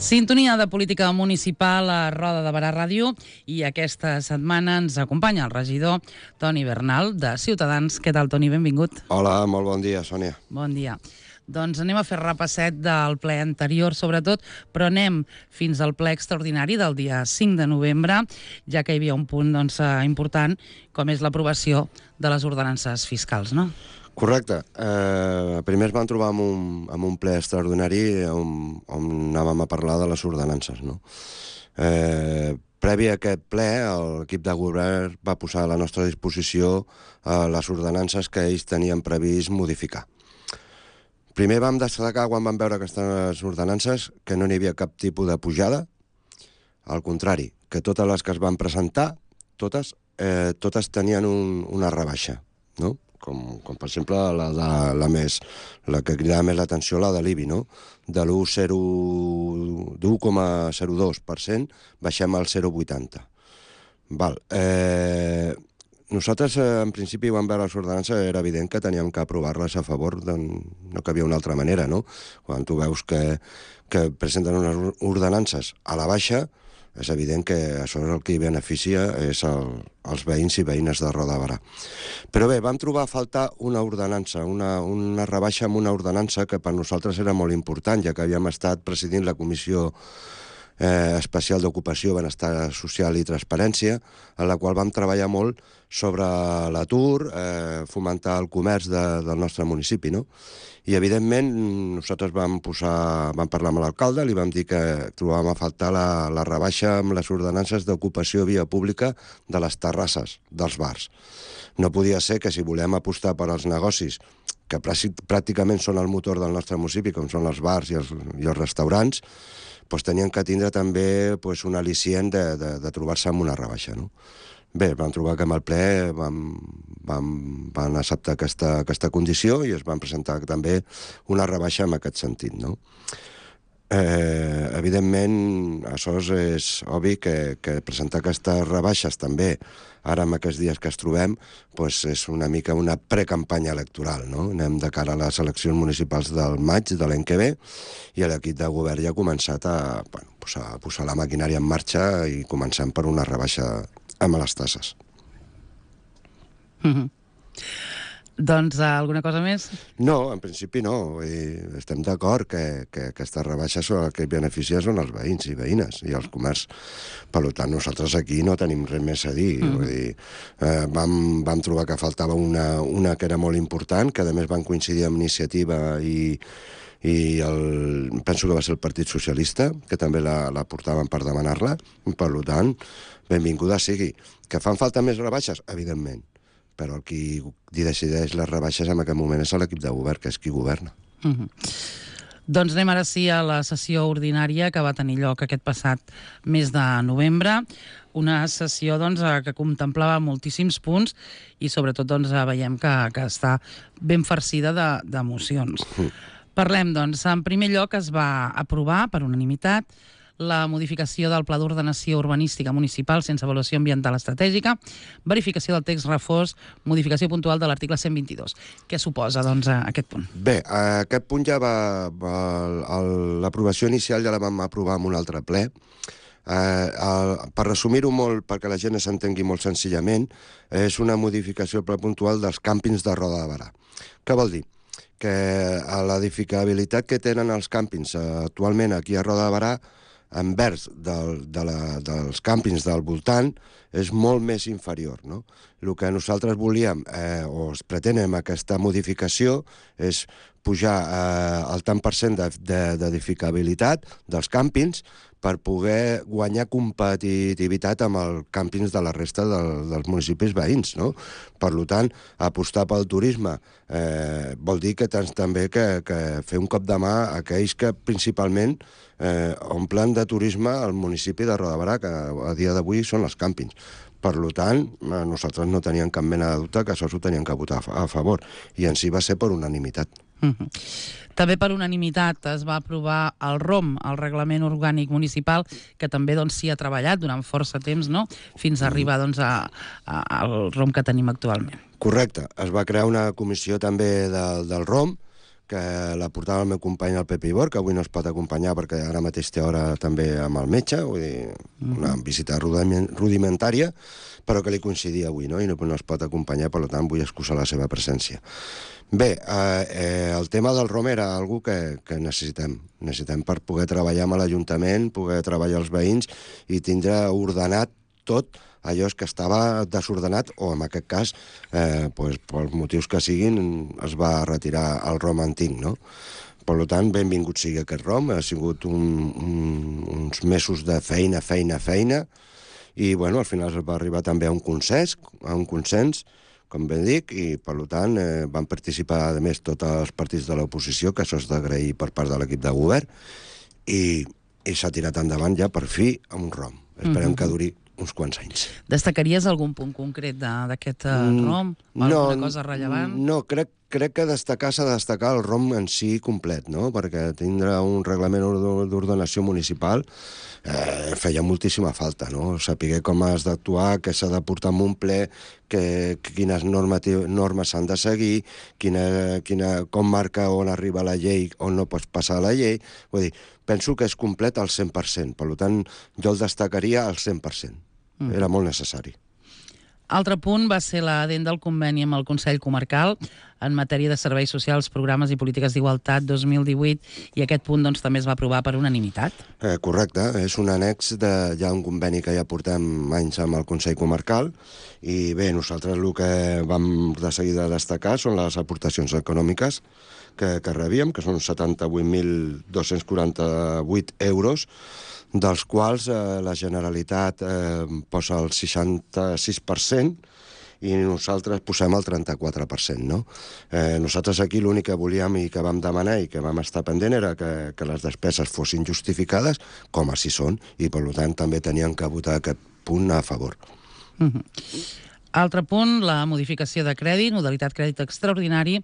Sintonia de política municipal a Roda de Barà Ràdio i aquesta setmana ens acompanya el regidor Toni Bernal de Ciutadans. Què tal, Toni? Benvingut. Hola, molt bon dia, Sònia. Bon dia. Doncs anem a fer repasset del ple anterior, sobretot, però anem fins al ple extraordinari del dia 5 de novembre, ja que hi havia un punt important, com és l'aprovació de les ordenances fiscals, no? Correcte. Primer ens vam trobar amb un ple extraordinari on anàvem a parlar de les ordenances, no? Previ a aquest ple, l'equip de govern va posar a la nostra disposició les ordenances que ells tenien previst modificar. Primer vam destacar, quan vam veure aquestes ordenances, que no n'hi havia cap tipus de pujada. Al contrari, que totes les que es van presentar, totes tenien una rebaixa, no? Com per exemple la que cridava més l'atenció, la de l'IBI, no? De l'1,02% baixem al 0,80%. Val. Nosaltres, en principi, vam veure les ordenances, era evident que teníem que aprovar-les a favor, no que havia una altra manera, no? Quan tu veus que presenten unes ordenances a la baixa, és evident que això és el que hi beneficia és els veïns i veïnes de Roda de Barà. Però bé, vam trobar a faltar una ordenança, una rebaixa amb una ordenança que per nosaltres era molt important, ja que havíem estat presidint la Comissió Especial d'Ocupació, Benestar Social i Transparència, en la qual vam treballar molt sobre l'atur, fomentar el comerç del nostre municipi, no? I, evidentment, nosaltres vam parlar amb l'alcalde, li vam dir que trobàvem a faltar la rebaixa amb les ordenances d'ocupació via pública de les terrasses dels bars. No podia ser que, si volem apostar per als negocis, que pràcticament són el motor del nostre municipi, com són els bars i els restaurants, tenien que tindre també un al·licient de trobar-se amb una rebaixa, no? Bé, vam trobar que amb el ple van acceptar aquesta condició i es van presentar també una rebaixa en aquest sentit, no? Evidentment, això és obvi que presentar aquestes rebaixes també, ara en aquests dies que es trobem, és una mica una precampanya electoral, no? Anem de cara a les eleccions municipals del maig de l'any que ve i l'equip de govern ja ha començat a posar la maquinària en marxa i començant per una rebaixa amb les tasses. Doncs alguna cosa més? No, en principi no. Estem d'acord que aquestes rebaixes són el que beneficia són els veïns i veïnes i els comerç. Per tant, nosaltres aquí no tenim res més a dir. Vull dir, vam trobar que faltava una que era molt important, que a més van coincidir amb Iniciativa i penso que va ser el Partit Socialista, que també la portaven per demanar-la. Per tant, benvinguda sigui. Que fan falta més rebaixes? Evidentment. Però el qui decideix les rebaixes en aquest moment és l'equip de govern, que és qui governa. Doncs anem ara sí a la sessió ordinària que va tenir lloc aquest passat mes de novembre. Una sessió que contemplava moltíssims punts i sobretot veiem que està ben farcida de mocions. Parlem, en primer lloc es va aprovar per unanimitat la modificació del Pla d'Ordenació Urbanística Municipal sense avaluació ambiental estratègica, verificació del text refós, modificació puntual de l'article 122. Què suposa, aquest punt? Bé, aquest punt ja l'aprovació inicial ja la vam aprovar en un altre ple. Per resumir-ho molt, perquè la gent s'entengui molt senzillament, és una modificació puntual dels càmpings de Roda de Barà. Què vol dir? Que la edificabilitat que tenen els càmpings actualment aquí a Roda de Barà envers dels càmpings del voltant és molt més inferior, no? El que nosaltres volíem o es pretén amb aquesta modificació és pujar el tant per cent d'edificabilitat dels càmpings per poder guanyar competitivitat amb els càmpings de la resta dels municipis veïns, no? Per tant, apostar pel turisme vol dir que també que fer un cop de mà a aquells que principalment omplen de turisme al municipi de Roda de Barà, que a dia d'avui són els càmpings. Per tant, nosaltres no teníem cap mena de dubte que això s'ho tenien que votar a favor, i en si va ser per unanimitat. També per unanimitat es va aprovar el ROM, el Reglament Orgànic Municipal, que també s'hi ha treballat durant força temps, no?, fins a arribar al ROM que tenim actualment. Correcte. Es va crear una comissió també del ROM, que la portava el meu company el Pepi Bor, que avui no es pot acompanyar perquè ara mateix té hora també amb el metge, vull dir, una visita rudimentària, però que li coincidia avui, no? I no es pot acompanyar, per tant vull excusar la seva presència. Bé, el tema del ROM era algo que necessitem per poder treballar amb l'Ajuntament, poder treballar els veïns i tindre ordenat tot allò que estava desordenat o, en aquest cas, pels motius que siguin, es va retirar el ROM antic, no? Per tant, benvingut sigui aquest ROM, ha sigut uns mesos de feina, i, bueno, al final es va arribar també a un consens, com ben dic, i, per tant, van participar, a més, tots els partits de l'oposició, que això és d'agrair per part de l'equip de govern, i s'ha tirat endavant ja, per fi, amb un ROM. Esperem que duri uns quants anys. Destacaries algun punt concret d'aquest ROM? Alguna cosa rellevant? No, crec que s'ha de destacar el ROM en si complet, no? Perquè tindre un reglament d'ordenació municipal feia moltíssima falta, no? Saber com has d'actuar, què s'ha de portar en un ple, quines normes s'han de seguir, com marca on arriba la llei, on no pots passar la llei. Vull dir, penso que és complet al 100%, per tant, jo el destacaria al 100%. Era molt necessari. Altre punt va ser l'adent del conveni amb el Consell Comarcal en matèria de serveis socials, programes i polítiques d'igualtat 2018, i aquest punt doncs, també es va aprovar per unanimitat. Correcte, és un annex ja un conveni que ja portem anys amb el Consell Comarcal, i bé, nosaltres el que vam de seguida destacar són les aportacions econòmiques que rebíem, que són 78.248 euros, dels quals la Generalitat posa el 66% i nosaltres posem el 34%, no? Nosaltres aquí l'únic que volíem i que vam demanar i que vam estar pendent era que les despeses fossin justificades, com així són, i per tant també tenien que votar aquest punt a favor. Altre punt, la modificació de crèdit, modalitat crèdit extraordinari.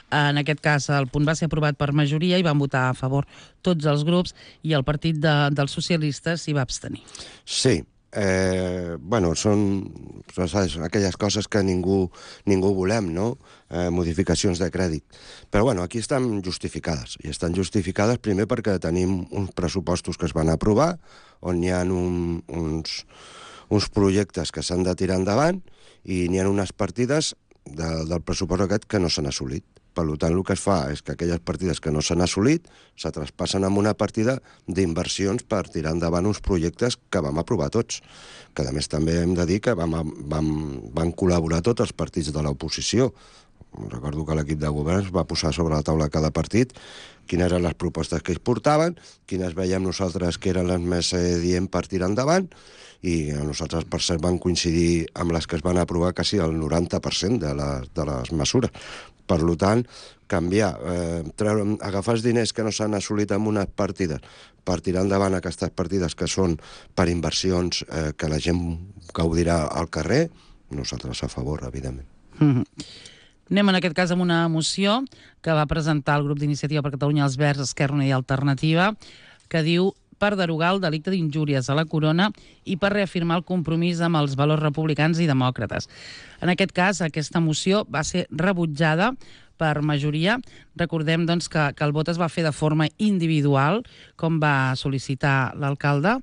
En aquest cas, el punt va ser aprovat per majoria i van votar a favor tots els grups, i el partit dels socialistes s'hi va abstenir. Sí, bueno, són aquelles coses que ningú volem, no? Modificacions de crèdit. Però bueno, aquí estan justificades. I estan justificades primer perquè tenim uns pressupostos que es van aprovar, on hi ha uns projectes que s'han de tirar endavant, i n'hi ha unes partides del pressupost aquest que no s'han assolit. Per tant, el que es fa és que aquelles partides que no s'han assolit se traspassen amb una partida d'inversions per tirar endavant uns projectes que vam aprovar tots. Que, a més, també hem de dir que van col·laborar tots els partits de l'oposició. Recordo que l'equip de govern va posar sobre la taula cada partit quines eren les propostes que ells portaven, quines veiem nosaltres que eren les més dient per tirar endavant, i nosaltres, per cert, van coincidir amb les que es van aprovar quasi el 90% de les mesures. Per tant, canviar, agafar els diners que no s'han assolit en unes partides per tirar endavant aquestes partides que són per inversions que la gent gaudirà al carrer, nosaltres a favor, evidentment. Anem en aquest cas amb una moció que va presentar el grup d'Iniciativa per Catalunya, els Verds, Esquerra Unida i Alternativa, que diu per derogar el delicte d'injúries a la corona i per reafirmar el compromís amb els valors republicans i demòcrates. En aquest cas, aquesta moció va ser rebutjada per majoria. Recordem doncs, que el vot es va fer de forma individual, com va sol·licitar l'alcalde,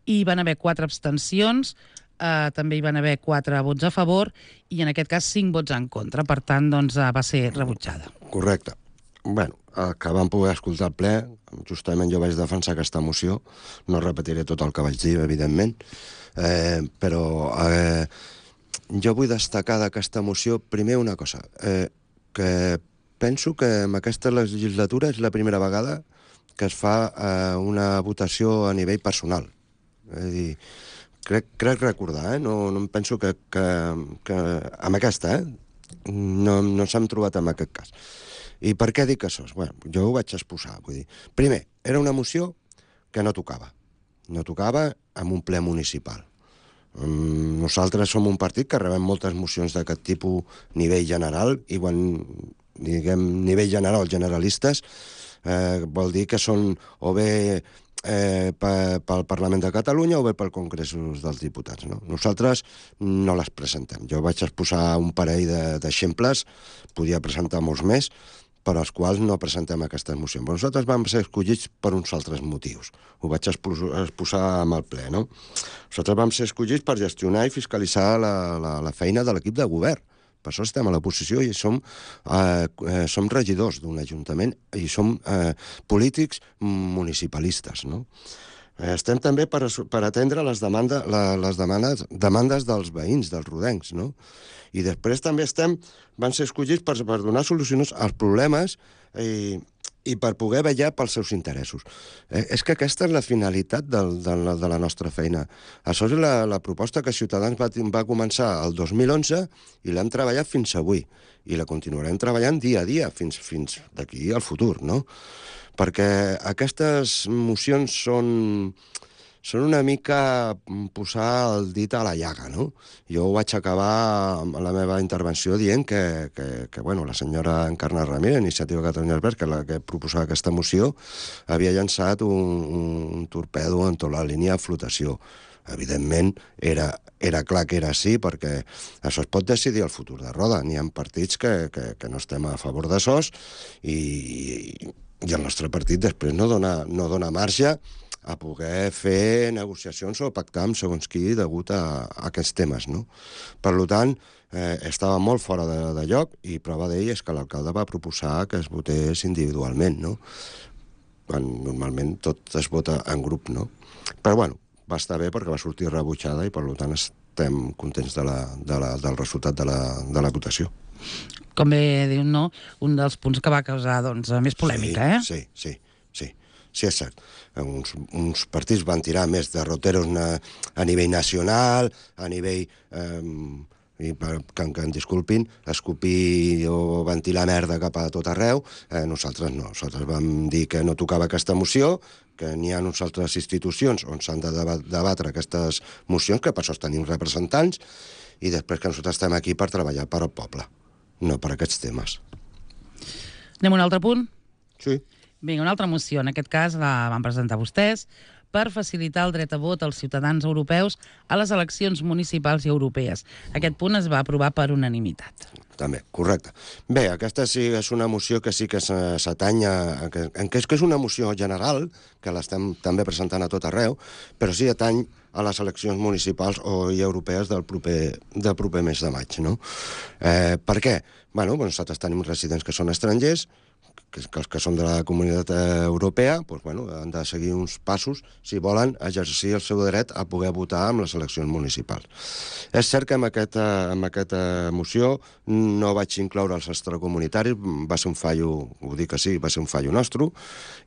i van haver 4 abstencions, també hi van haver 4 vots a favor i en aquest cas 5 vots en contra. Per tant, doncs, va ser rebutjada. Correcte. Bueno, que vam poder escoltar el ple, justament jo vaig defensar aquesta moció, no repetiré tot el que vaig dir, evidentment, però jo vull destacar d'aquesta moció primer una cosa, que penso que en aquesta legislatura és la primera vegada que es fa una votació a nivell personal. És a dir, crec recordar, no em penso que amb aquesta, no s'han trobat en aquest cas. I per què dic això? Bueno, jo ho vaig exposar. Vull dir, primer, era una moció que no tocava. No tocava en un ple municipal. Nosaltres som un partit que rebem moltes mocions d'aquest tipus a nivell general, i quan diguem nivell general, generalistes, vol dir que són o bé pel Parlament de Catalunya o bé pel Congrés dels Diputats. No? Nosaltres no les presentem. Jo vaig exposar un parell d'exemples, podia presentar molts més, per als quals no presentem aquestes mocions. Però nosaltres vam ser escollits per uns altres motius. Ho vaig exposar amb el ple, no? Nosaltres vam ser escollits per gestionar i fiscalitzar la feina de l'equip de govern. Per això estem a l'oposició i som regidors d'un ajuntament i som polítics municipalistes, no? Estem també per atendre les demandes dels veïns, dels rodencs, no? I després també van ser escollits per donar solucions als problemes i per poder vetllar pels seus interessos. És que aquesta és la finalitat de la nostra feina. Això és la proposta que Ciutadans va començar el 2011 i l'hem treballat fins avui. I la continuarem treballant dia a dia, fins d'aquí al futur, no? Perquè aquestes mocions són una mica posar el dit a la llaga, no? Jo vaig acabar la meva intervenció dient que la senyora Encarna Ramírez, Iniciativa Catalunya Verds, que és la que proposava aquesta moció, havia llançat un torpedo en tota la línia de flotació. Evidentment, era clar que era així, perquè això es pot decidir al futur de Roda. N'hi ha partits que no estem a favor de SOS i el nostre partit després no dona marge a poder fer negociacions o pactar amb segons qui degut a aquests temes, no? Per tant, estava molt fora de lloc i prova d'ell és que l'alcalde va proposar que es votés individualment, no? Quan normalment tot es vota en grup, no? Però, bueno, va estar bé perquè va sortir rebutjada i, per tant, estem contents del resultat de la votació. Com bé diu, no? Un dels punts que va causar, doncs, més polèmica, Sí, és cert. Uns partits van tirar més de roteros a nivell nacional, a nivell, que em disculpin, escopir o ventilar merda cap a tot arreu. Nosaltres no. Nosaltres vam dir que no tocava aquesta moció, que n'hi ha unes altres institucions on s'han de debatre aquestes mocions, que per això tenim representants, i després que nosaltres estem aquí per treballar per al poble, no per aquests temes. Anem a un altre punt? Sí. Vinga, una altra moció, en aquest cas la van presentar vostès, per facilitar el dret a vot als ciutadans europeus a les eleccions municipals i europees. Aquest punt es va aprovar per unanimitat. També, correcte. Bé, aquesta sí és una moció que sí que s'atanya, que és una moció general, que l'estem també presentant a tot arreu, però sí atany a les eleccions municipals i europees del proper mes de maig, no? Per què? Bé, nosaltres tenim residents que són estrangers, que els que són de la Comunitat Europea han de seguir uns passos si volen exercir el seu dret a poder votar en les eleccions municipals. És cert que amb aquesta moció no vaig incloure els extracomunitaris, va ser un fallo, ho dic així, va ser un fallo nostre,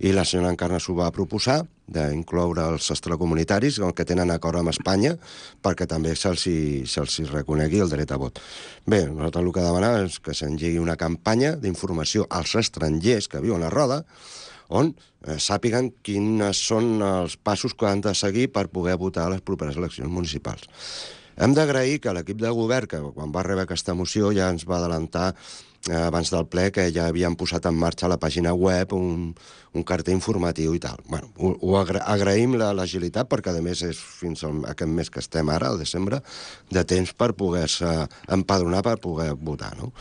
i la senyora Encarna s'ho va proposar, d'incloure els extracomunitaris, que tenen acord amb Espanya, perquè també se'ls reconegui el dret a vot. Bé, nosaltres el que demanàvem és que s'engegui una campanya d'informació als estrangers que viuen a Roda, on sàpiguen quins són els passos que han de seguir per poder votar a les properes eleccions municipals. Hem d'agrair que l'equip de govern, que quan va rebre aquesta moció ja ens va adelantar abans del ple que ja havien posat en marxa a la pàgina web un cartell informatiu i tal. Ho agraïm l'agilitat perquè, a més, és fins aquest mes que estem ara, al desembre, de temps per poder-se empadronar per poder votar, no?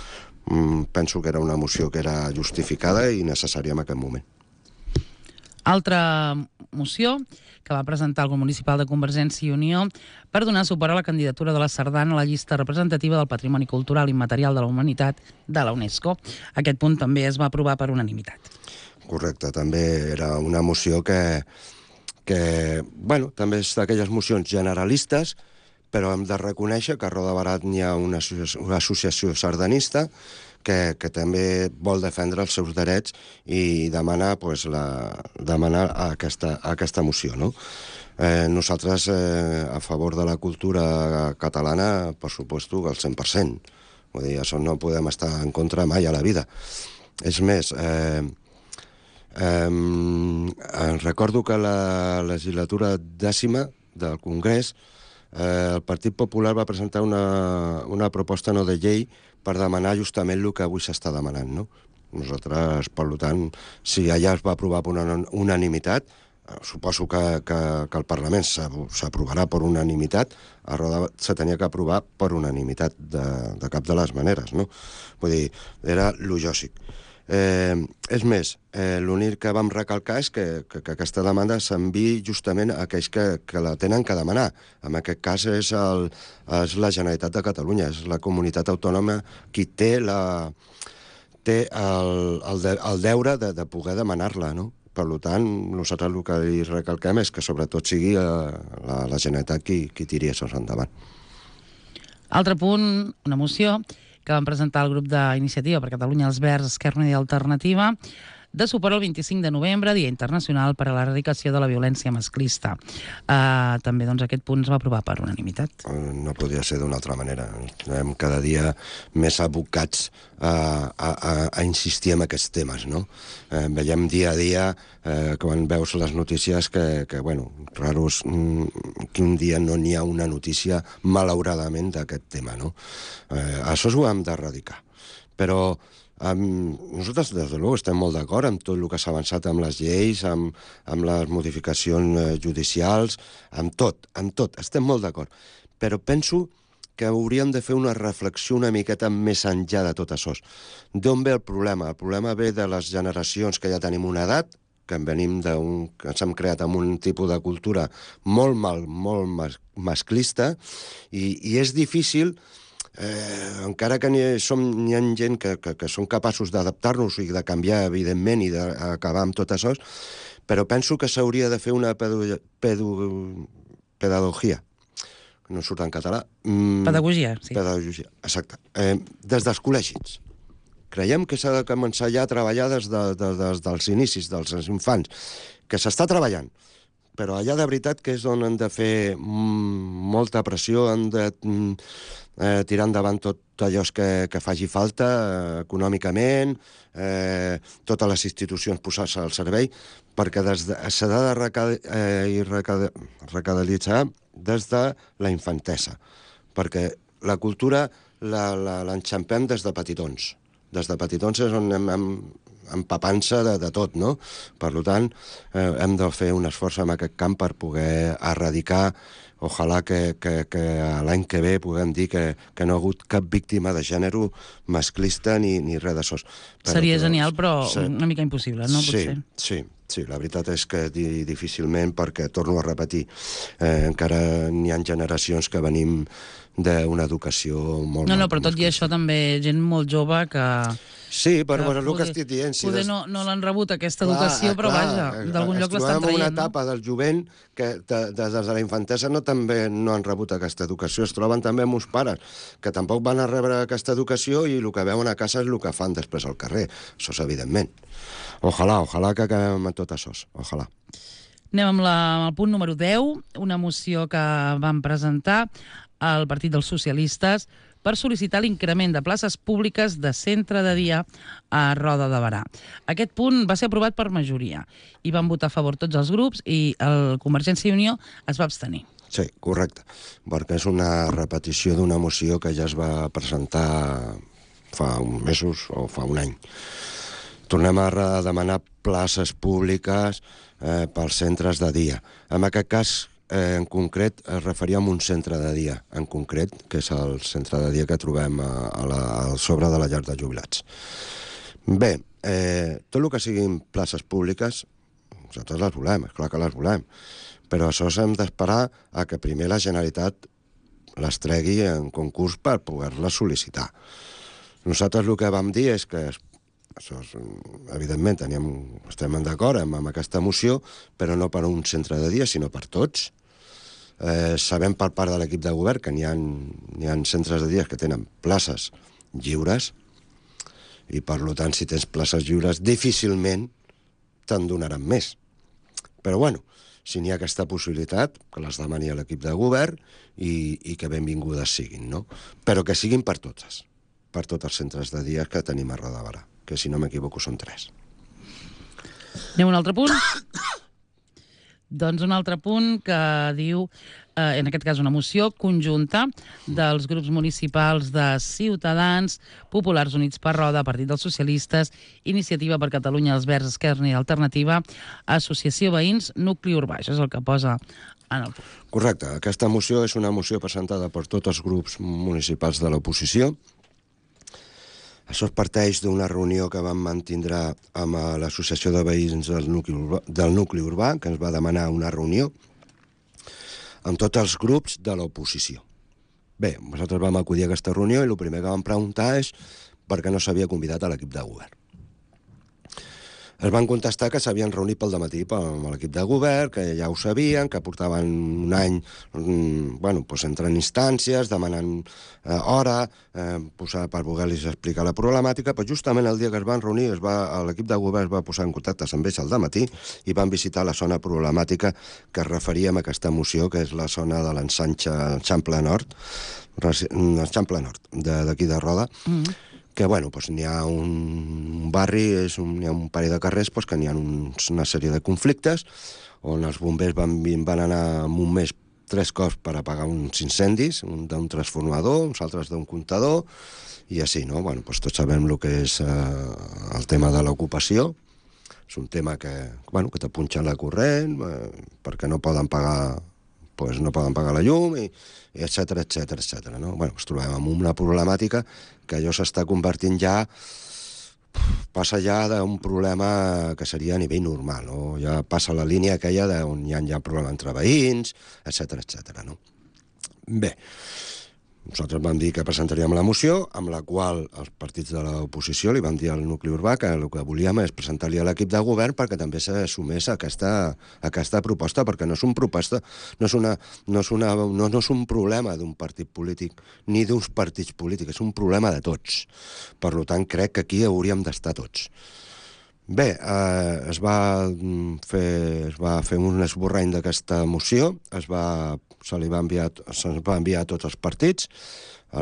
Penso que era una moció que era justificada i necessària en aquest moment. Altra moció que va presentar el grup municipal de Convergència i Unió per donar suport a la candidatura de la Sardana a la llista representativa del Patrimoni Cultural Immaterial de la Humanitat de la UNESCO. Aquest punt també es va aprovar per unanimitat. Correcte, també era una moció que també és d'aquelles mocions generalistes, però hem de reconèixer que a Roda de Barà n'hi ha una associació sardanista que també vol defendre els seus drets i demanar aquesta moció, no? Nosaltres, a favor de la cultura catalana, per suposto, al 100%. Vull dir, això no podem estar en contra mai a la vida. És més, recordo que la legislatura 10ª del Congrés el Partit Popular va presentar una proposta no de llei per demanar justament el que avui s'està demanant, no? Nosaltres, per tant, si allà es va aprovar per unanimitat, suposo que el Parlament s'aprovarà per unanimitat, a Roda se tenia que aprovar per unanimitat de cap de les maneres, no? Vull dir, era lo lògic. És més, l'únic que vam recalcar és que aquesta demanda s'enviï justament a aquells que la tenen que demanar. En aquest cas és la Generalitat de Catalunya, és la comunitat autònoma qui té el deure de poder demanar-la, no? Per tant, nosaltres el que li recalquem és que sobretot sigui la Generalitat qui tiri això endavant. Altre punt, una moció que van presentar el grup d'Iniciativa per Catalunya, els Verds, Esquerra Unida i Alternativa, de suport al 25 de novembre, Dia Internacional per a l'Erradicació de la Violència Masclista. També aquest punt es va aprovar per unanimitat. No podria ser d'una altra manera. Estem cada dia més abocats a insistir en aquests temes, no? Veiem dia a dia, quan veus les notícies, que bueno, raro és que un dia no n'hi ha una notícia, malauradament, d'aquest tema, no? Això ho hem d'erradicar. Però nosaltres, des de luego, estem molt d'acord amb tot el que s'ha avançat amb les lleis, amb les modificacions judicials, amb tot, estem molt d'acord. Però penso que hauríem de fer una reflexió una miqueta més enllà de tot això. D'on ve el problema? El problema ve de les generacions que ja tenim una edat, que ens hem creat amb un tipus de cultura molt masclista, i és difícil, encara que n'hi ha gent que són capaços d'adaptar-nos i de canviar, evidentment, i d'acabar amb tot això, però penso que s'hauria de fer una pedagogia, que no surt en català. Pedagogia, sí. Pedagogia, exacte. Des dels col·legis. Creiem que s'ha de començar ja a treballar des dels inicis, dels infants, que s'està treballant, però allà de veritat que és on han de fer molta pressió, han de tirar endavant tot allò que faci falta econòmicament, totes les institucions posar-se al servei, perquè s'ha de recadalitzar des de la infantesa, perquè la cultura l'enxampem des de petitons. Des de petitons és on anem empapant-se de tot, no? Per tant, hem de fer un esforç en aquest camp per poder erradicar. Ojalà que l'any que ve puguem dir que no ha hagut cap víctima de gènere masclista ni res d'això. Seria genial, però una mica impossible, no? Sí, la veritat és que difícilment, perquè, torno a repetir, encara n'hi ha generacions que venim d'una educació molt... No, però tot i això també gent molt jove que... Sí, però és el que estic dient. Poder no l'han rebut aquesta educació, però vaja, d'algun lloc l'estan traient. Ens trobem en una etapa del jovent que des de la infantesa també no han rebut aquesta educació. Es troben també amb uns pares que tampoc van a rebre aquesta educació i el que veuen a casa és el que fan després al carrer. Això és evidentment. Ojalà que acabem amb tot això. Ojalà. Anem amb el punt número 10, una moció que van presentar al Partit dels Socialistes per sol·licitar l'increment de places públiques de centre de dia a Roda de Berà. Aquest punt va ser aprovat per majoria i van votar a favor tots els grups i el Convergència i Unió es va abstenir. Sí, correcte, perquè és una repetició d'una moció que ja es va presentar fa uns mesos o fa un any. Tornem a demanar places públiques pels centres de dia. En aquest cas, en concret, es referia a un centre de dia, en concret, que és el centre de dia que trobem al sobre de la llar de jubilats. Bé, tot el que siguin places públiques, nosaltres les volem, és clar que les volem, però això hem d'esperar a que primer la Generalitat les tregui en concurs per poder-les sol·licitar. Nosaltres el que vam dir és que evidentment estem d'acord amb aquesta moció, però no per un centre de dia, sinó per tots. Sabem per part de l'equip de govern que n'hi ha centres de dia que tenen places lliures i, per tant, si tens places lliures, difícilment te'n donaran més. Però, bueno, si n'hi ha aquesta possibilitat, que les demani a l'equip de govern i que benvingudes siguin, no? Però que siguin per tots els centres de dia que tenim a Roda de Berà, que, si no m'equivoco, són 3. Anem a un altre punt? Doncs un altre punt que diu, en aquest cas una moció conjunta dels grups municipals de Ciutadans, Populars Units per Roda, Partit dels Socialistes, Iniciativa per Catalunya, els Verds, Esquerra Unida i Alternativa, Associació Veïns, Nucli Urbà. Això és el que posa en el punt. Correcte. Aquesta moció és una moció presentada per tots els grups municipals de l'oposició. Això parteix d'una reunió que vam mantindre amb l'Associació de Veïns del nucli urbà, que ens va demanar una reunió amb tots els grups de l'oposició. Bé, nosaltres vam acudir a aquesta reunió i el primer que vam preguntar és per què no s'havia convidat a l'equip de govern. Es van contestar que s'havien reunit pel dematí amb l'equip de govern, que ja ho sabien, que portaven un any entrant instàncies, demanant hora per poder-los explicar la problemàtica, però justament el dia que es van reunir l'equip de govern es va posar en contacte amb ells al dematí i van visitar la zona problemàtica que es referia a aquesta moció, que és la zona de l'Eixample Nord, d'aquí de Roda, que n'hi ha un barri, n'hi ha un parell de carrers que n'hi ha una sèrie de conflictes on els bombers van anar en un mes 3 cops per apagar uns incendis, un d'un transformador, uns altres d'un comptador, i així, no? Tots sabem el que és el tema de l'ocupació. És un tema que te punxen la corrent perquè no poden pagar la llum, i etcètera, no? Ens trobem amb una problemàtica que allò s'està convertint passa ja d'un problema que seria a nivell normal, no? Ja passa la línia aquella on hi ha problema entre veïns, etcètera, no? Bé, nosaltres vam dir que presentaríem la moció, amb la qual els partits de l'oposició li van dir al nucli urbà que el que volíem és presentar-li a l'equip de govern perquè també s'assumés aquesta proposta, perquè no és un problema d'un partit polític ni d'uns partits polítics, és un problema de tots. Per tant, crec que aquí hauríem d'estar tots. Bé, es va fer un esborrany d'aquesta moció, se'ns va enviar a tots els partits, a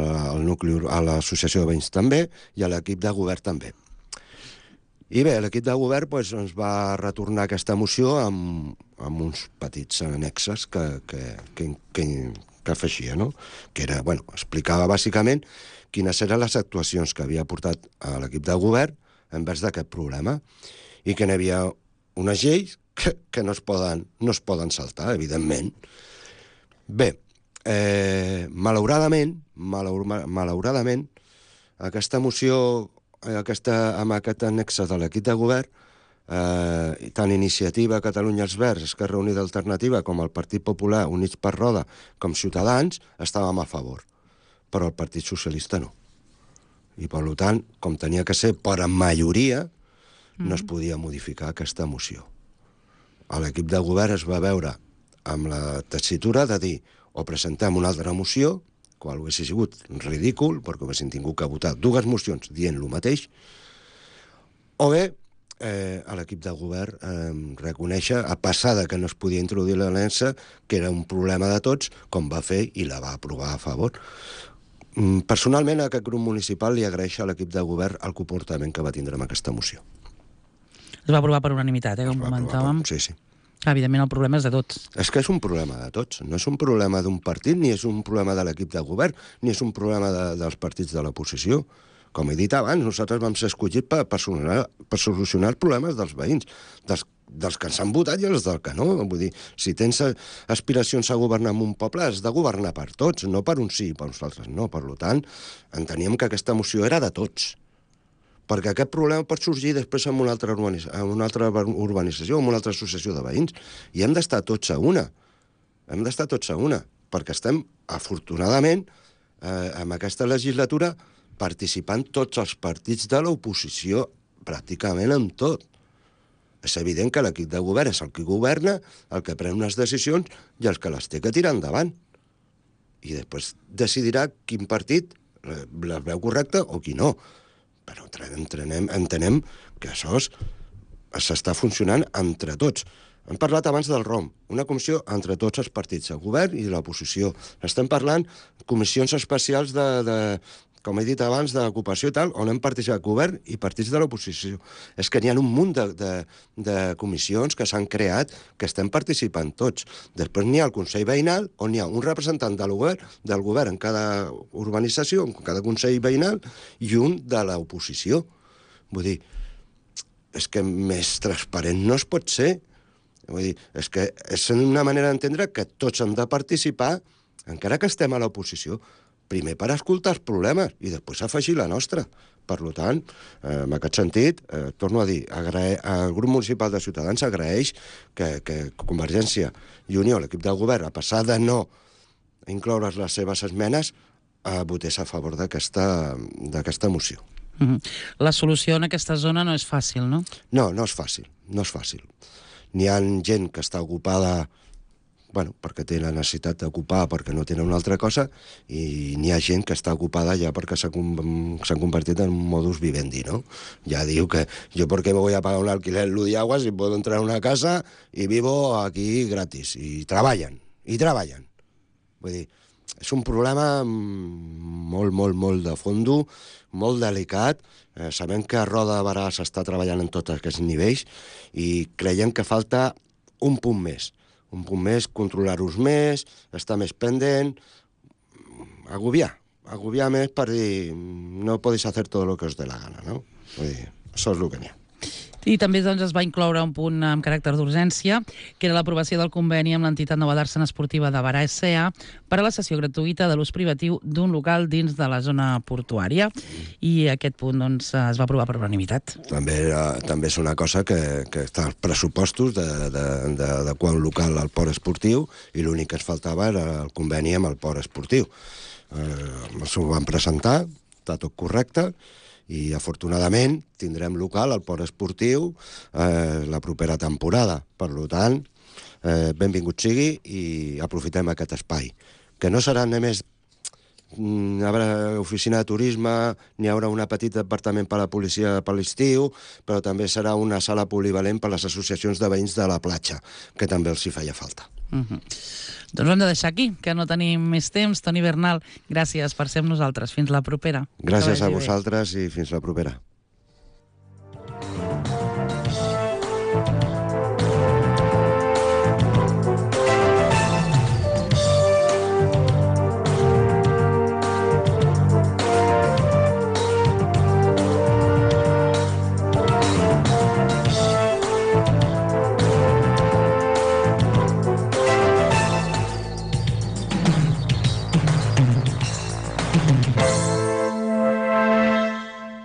l'associació de veïns també, i a l'equip de govern també. I bé, l'equip de govern ens va retornar aquesta moció amb uns petits annexes que afeixia, no? Que era, explicava bàsicament quines eren les actuacions que havia portat a l'equip de govern envers d'aquest problema, i que n'hi havia unes lleis que no es poden saltar, evidentment. Bé, malauradament, aquesta moció, amb aquest annex de l'equip de govern, tant Iniciativa Catalunya els Verds, Esquerra Unida Alternativa, com el Partit Popular, Units per Roda, com Ciutadans, estàvem a favor, però el Partit Socialista no. I, per tant, com tenia que ser per majoria, no es podia modificar aquesta moció. L'equip de govern es va veure amb la tessitura de dir o presentem una altra moció, qual hauria sigut ridícul, perquè haguessin tingut que votar 2 mocions dient el mateix, o bé l'equip de govern reconèixer, a passar que no es podia introduir l'aliança, que era un problema de tots, com va fer i la va aprovar a favor. Personalment, a aquest grup municipal li agraeixo a l'equip de govern el comportament que va tindre amb aquesta moció. Es va aprovar per unanimitat, com comentàvem. Sí. Evidentment, el problema és de tots. És que és un problema de tots. No és un problema d'un partit, ni és un problema de l'equip de govern, ni és un problema dels partits de l'oposició. Com he dit abans, nosaltres vam ser escollits per solucionar els problemes dels veïns, dels que ens han votat i els del que no. Vull dir, si tens aspiracions a governar en un poble, has de governar per tots, no per uns sí i per uns altres no. Per tant, enteníem que aquesta moció era de tots. Perquè aquest problema pot sorgir després en una altra urbanització, en una altra associació de veïns, i hem d'estar tots a una. Perquè estem, afortunadament, en aquesta legislatura, participant tots els partits de l'oposició, pràcticament amb tot. És evident que l'equip de govern és el que governa, el que pren unes decisions i el que les té que tirar endavant. I després decidirà quin partit les veu correcte o qui no. Però entenem que això s'està funcionant entre tots. Hem parlat abans del ROM, una comissió entre tots els partits, el govern i l'oposició. Estem parlant de comissions especials com he dit abans, d'ocupació i tal, on hem participat govern i partits de l'oposició. És que n'hi ha un munt de comissions que s'han creat que estem participant tots. Després n'hi ha el Consell Veïnal, on hi ha un representant del govern en cada urbanització, en cada Consell Veïnal, i un de l'oposició. Vull dir, és que més transparent no es pot ser. Vull dir, és que és una manera d'entendre que tots han de participar, encara que estem a l'oposició, primer per escoltar els problemes i després afegir la nostra. Per tant, en aquest sentit, torno a dir, el grup municipal de Ciutadans agraeix que Convergència i Unió, l'equip del govern, a pesar de no incloure les seves esmenes, votés a favor d'aquesta moció. La solució en aquesta zona no és fàcil, no? No, no és fàcil, no és fàcil. N'hi ha gent que està ocupada perquè té la necessitat d'ocupar, perquè no tenen una altra cosa, i n'hi ha gent que està ocupada ja perquè s'han convertit en un modus vivendi, ¿no? Ya digo que yo por qué me voy a pagar un alquiler en Ludiagua si puedo entrar a una casa y vivo aquí gratis. I treballen. Vull dir, és un problema molt de fondo, molt delicat. Sabem que a Roda de Berà s'està treballant en tots aquests nivells i creiem que falta un punt més, controlar-los més, estar més pendent, agobiar més per dir no podeu fer tot el que us dé la gana, no? Vull dir, això és el que n'hi ha. I també doncs, es va incloure un punt amb caràcter d'urgència, que era l'aprovació del conveni amb l'entitat Nova Dàrsena Esportiva de Berà S.A. per a la cessió gratuïta de l'ús privatiu d'un local dins de la zona portuària. I aquest punt doncs, es va aprovar per unanimitat. També és una cosa que està als pressupostos d'adequar un local al port esportiu i l'únic que es faltava era el conveni amb el port esportiu. S'ho van presentar, està tot correcte, i afortunadament tindrem local al port esportiu la propera temporada. Per tant, benvingut sigui i aprofitem aquest espai. Que no serà només hi haurà oficina de turisme, n'hi haurà un petit departament per a la policia per l'estiu, però també serà una sala polivalent per a les associacions de veïns de la platja, que també els hi feia falta. Doncs ho hem de deixar aquí, que no tenim més temps. Toni Bernal, gràcies per ser amb nosaltres. Fins la propera. Gràcies a vosaltres i fins la propera.